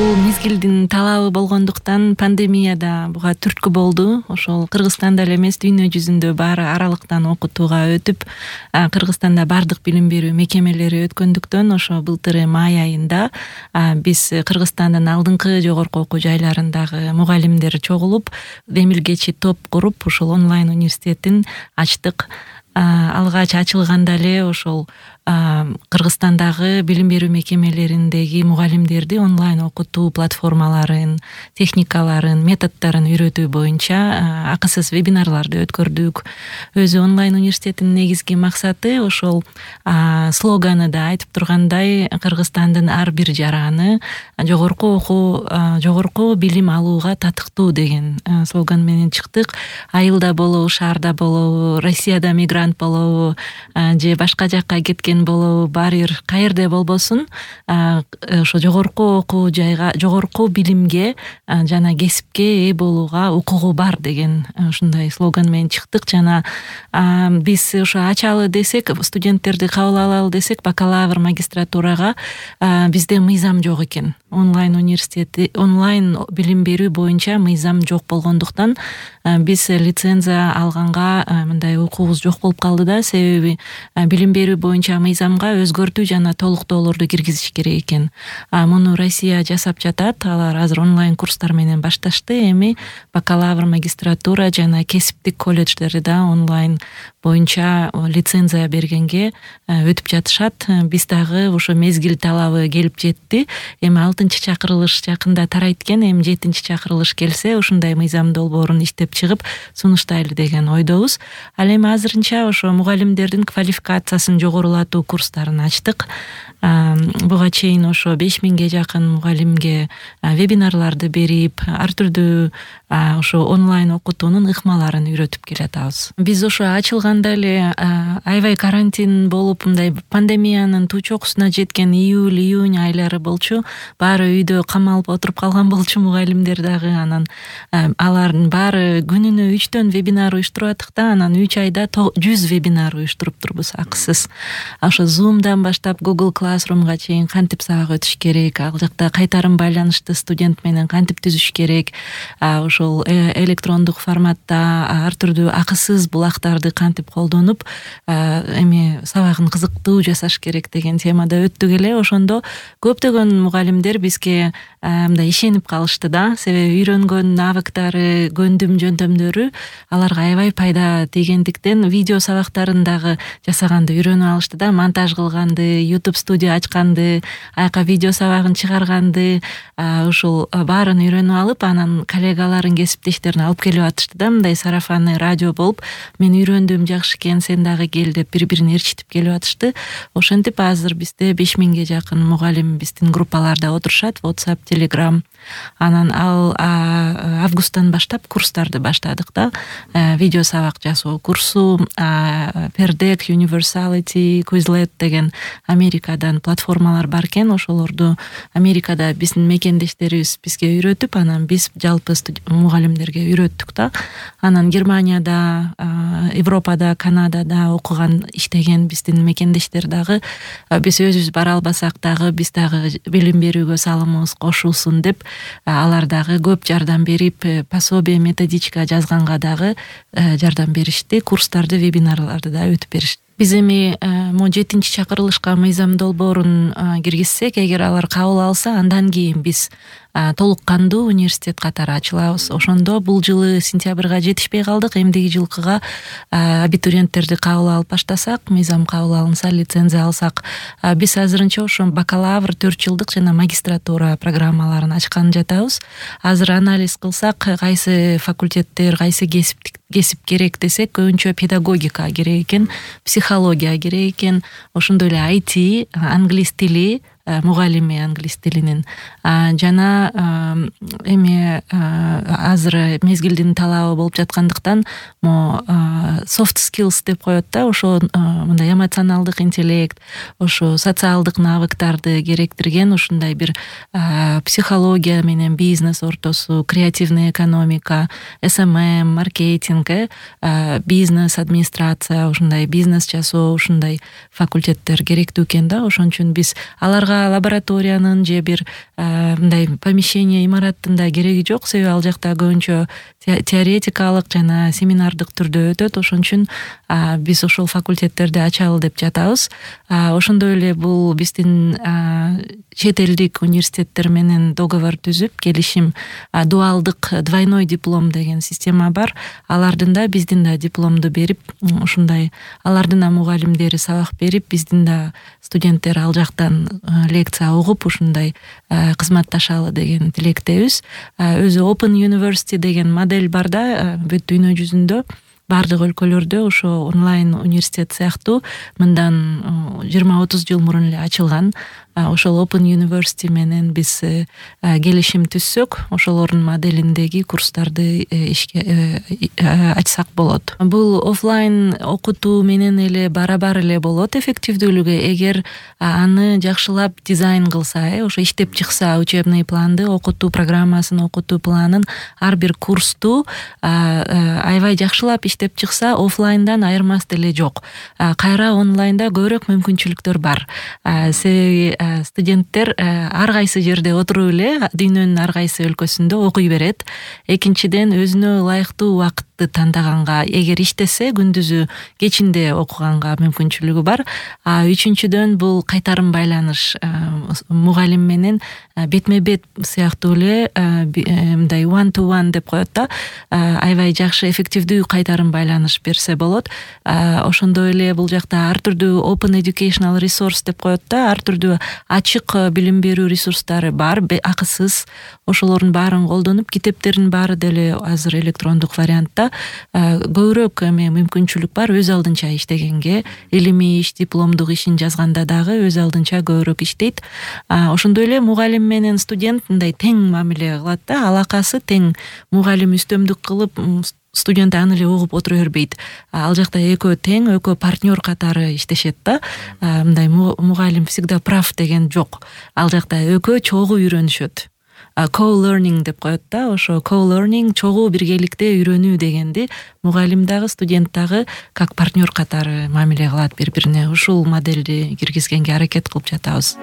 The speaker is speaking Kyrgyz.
бул мезгилдин талабы болгондуктан пандемияда буга түрткү болду. Ошол Кыргызстанда эле эмес, дүйнө жүзүндө баары аралыктан окутууга өтүп, Кыргызстанда бардык билим берүү мекемелери өткөндүктөн ошо былтыр май айында биз Кыргызстандын алдыңкы жогорку окуу жайларындагы мугалимдер чогулуп, демилгечи топ куруп, ошол онлайн университетин ачтык. Алгач ачылганда эле ошол Кыргызстандагы билим берүү мекемелериндеги мугалимдерди онлайн окутуу платформаларын, техникаларын, методдорун үйрөтүү боюнча акысыз вебинарларды өткөрдүк. Өзү онлайн университеттин негизги максаты ошол слоганы да айтып тургандай, Кыргызстандын ар бир жараны жогорку билим алууга татыктуу деген слоган менен чыктык. Айылда болобу, шаарда болобу, Россияда мигрант болобу, же башка жакка кеткен болобу, баары бир каерде болбосун, ошо жогорку окуу жайга, жогорку билимге жана кесипке ээ болууга укугу бар деген ушундай слоган менен чыктык. Жана биз ошо ачалы десек, студенттерди кабыл алалы десек, бакалавр, магистратурага бизде мыйзам жок экен. Онлайн университети, онлайн билим берүү боюнча мыйзам жок болгондуктан биз лицензия алганга мындай укугубуз жок болуп калды да, себеби билим берүү боюнча мыйзамга өзгөртүү жана толуктоолорду киргизиш керек экен. Муну Россия жасап жатат. Алар азыр онлайн курстар менен башташты. Эми бакалавр, магистратура жана кесиптик колледждерди да онлайн боюнча лицензия бергенге өтүп жатышат. Биз дагы ошо мезгил талабы келип жетти. Эми 6-чакырылыш жакында тарайт экен. Эми 7-чакырылыш келсе, ушундай мыйзам долбоорун иштеп чыгып сунуштайлы деген ойдобуз. Ал эми азырынча ошо мугалимдердин квалификациясын жогорулатуу курстарын ачтык. Буга чейин ошо 5000ге жакын мугалимге вебинарларды берип, ар түрдүү ошо онлайн окутуунун ыкмаларын үйрөтүп келатабыз. Биз ошо ачылганда эле аябай карантин болуп, мындай пандемиянын тучокусуна жеткен июль, июнь айлары болчу. Баары үйдө камалып отуруп калган болчу, мугалимдер дагы. Анан алардын баары күнүнө 3төн вебинар уюштуруп аттык да, анан 3 айда 100 вебинар уюштуруп турбуз акысыз. Ошо Zoom'дан баштап Google Classroom'га чейин кантип сабак өтүш керек, ал жакта кайтарым байланышты студент менен кантип түзүш керек, ошол электрондук форматта ар түрдүү акысыз булактарды кантип колдонуп эми сабагын кызыктуу жасаш керек деген темада өттүк эле. Ошондо көптөгөн мугалимдер бизге мындай ишенип калышты да, себеби үйрөнгөн навыктары, көндүм жөндөмдөрү аларга аябай пайда тийгендиктен видео сабактарын дагы жасаганды үйрөнүп алышты да, монтаж кылганды, YouTube студия ачканды, аяка видео сабагын чыгарганды, ушул баарын үйрөнүп алып, анан коллегаларын, кесиптештерин алып келип атышты да, мындай сарафанный радио болуп, мен үйрөндүм, жакшы экен, сен дагы кел деп бири-бирин эрчитип келип атышты. Ошентип азыр бизде 5000ге жакын мугалим биздин группаларда отурушат, WhatsApp, Telegram. Анан ал августтан баштап курстарды баштадык да. Видео сабак жасоо курсу, Perdeck, Universality, Quizlet деген Америкадан платформалар бар экен. Ошолорду Америкада биздин мекендештерибиз бизге үйрөтүп, анан биз жалпы мугалимдерге үйрөттүк да. Анан Германияда, Европада, Канадада окуган, иштеген биздин мекендештер дагы биз өзүбүз бара албасак дагы биз дагы билим берүүгө салымыбыз кошулсун деп, алар дагы көп жардам берип, пособие, методичка жазганга дагы жардам беришти. Курстарды, вебинарларды да өтүп беришти. Биз эми 7-чакырылышка мыйзам долбоорун киргизсек, эгер алар кабыл алса, андан кийин биз толук кандуу университет катары ачылабыз. Ошондо бул жылы сентябрга жетишпей калдык. Эмдиги жылкыга абитуриенттерди кабыл алып баштасак, мыйзам кабыл алынса, лицензия алсак, биз азырынча ошо бакалавр 4 жылдык жана магистратура программаларын ачкан жатабыз. Азыр анализ кылсак, кайсы факультеттер, кайсы кесип керек десек, көбүнчө педагогика керек экен, психология керек экен, ошондой эле IT, англис тили, мугалими англис тилинин, жана эми азыр мезгилдин талабы болуп жаткандыктан soft skills деп коет да, ошо мындай эмоционалдык интеллект, ошо социалдык навыктарды керектирген ушундай бир психология менен бизнес ортосу, креативный экономика, SMM, маркетинг, бизнес, администрация, ушундай бизнес жасоо, ушундай факультеттер керектүү экен да. Ошон үчүн биз аларга ага лабораториянын же бир мындай помещение имараттын да кереги жок, себеби ал жакта көбүнчө теоретикалык жана семинардык түрдө өтөт. Ошон үчүн биз ошол факультеттерди ачалы деп жатабыз. Ошондой эле бул биздин чет элдик университеттер менен договор түзүп, келишим, дуалдык двойной диплом деген система бар. Алардын да биздин да дипломду берип, ушундай алардын да мугалимдери сабак берип, биздин да студенттер ал жактан лекция угуп ушундай кызматташалы деген тилектебиз. Өзү Open University деген модель бар да, бүт дүйнө жүзүндө бардык өлкөлөрдө ошо онлайн университет сыяктуу мындан 20-30 жыл мурун эле ачылган. Ошол Open University менен биз келишим түзсөк, ошолордун моделиндеги курстарды ишке ачсак болот. Бул офлайн окутуу менен эле барабар эле болот эффективдүүлүгү, эгер аны жакшылап дизайн кылса, ошо иштеп чыкса, учебный планды, окутуу программасын, окутуу планын, ар бир курсту аябай жакшылап иштеп чыкса, офлайндан айырмасы деле жок. Кайра онлайнда көбүрөөк мүмкүнчүлүктөр бар. Себеби студенттер ар кайсы жерде отуруп эле дүйнөнүн ар кайсы өлкөсүндө окуй берет. Экинчиден, өзүнө ылайыктуу убакытты тандаганга, эгер иштесе күндүзү, кечинде окуганга мүмкүнчүлүгү бар. Үчүнчүдөн, бул кайтарым байланыш, мугалим менен бетме бет сыяктуу эле мындай one to one деп коет да, аябай жакшы эффективдүү кайтарым байланыш берсе болот. Ошондой эле бул жакта ар түрдүү open educational resource деп коет да, ар түрдүү ачык билим берүү ресурстары бар, акысыз. Ошолордун баарын колдонуп, китептердин баары деле азыр электрондук вариантта. Көбүрөөк мүмкүнчүлүк бар өз алдынча иштегенге, илимий иш, дипломдук ишин жазганда дагы өз алдынча көбүрөөк иштейт. Ошондой эле мугалим менен студент мындай тең мамиле кылат да, алакасы тең. Мугалим үстөмдүк кылып, студент аны эле угуп отура бербейт. Ал жакта экөө тең, экөө партнер катары иштешет да. Мындай мугалим всегда прав деген жок. Ал жакта экөө чогуу үйрөнүшөт. Co-learning деп коет да, ошо co-learning, чогуу биргеликте үйрөнүү дегенди мугалим дагы, студент дагы как партнер катары мамиле кылат бири-бирине. Ушул модельди киргизгенге аракет кылып жатабыз.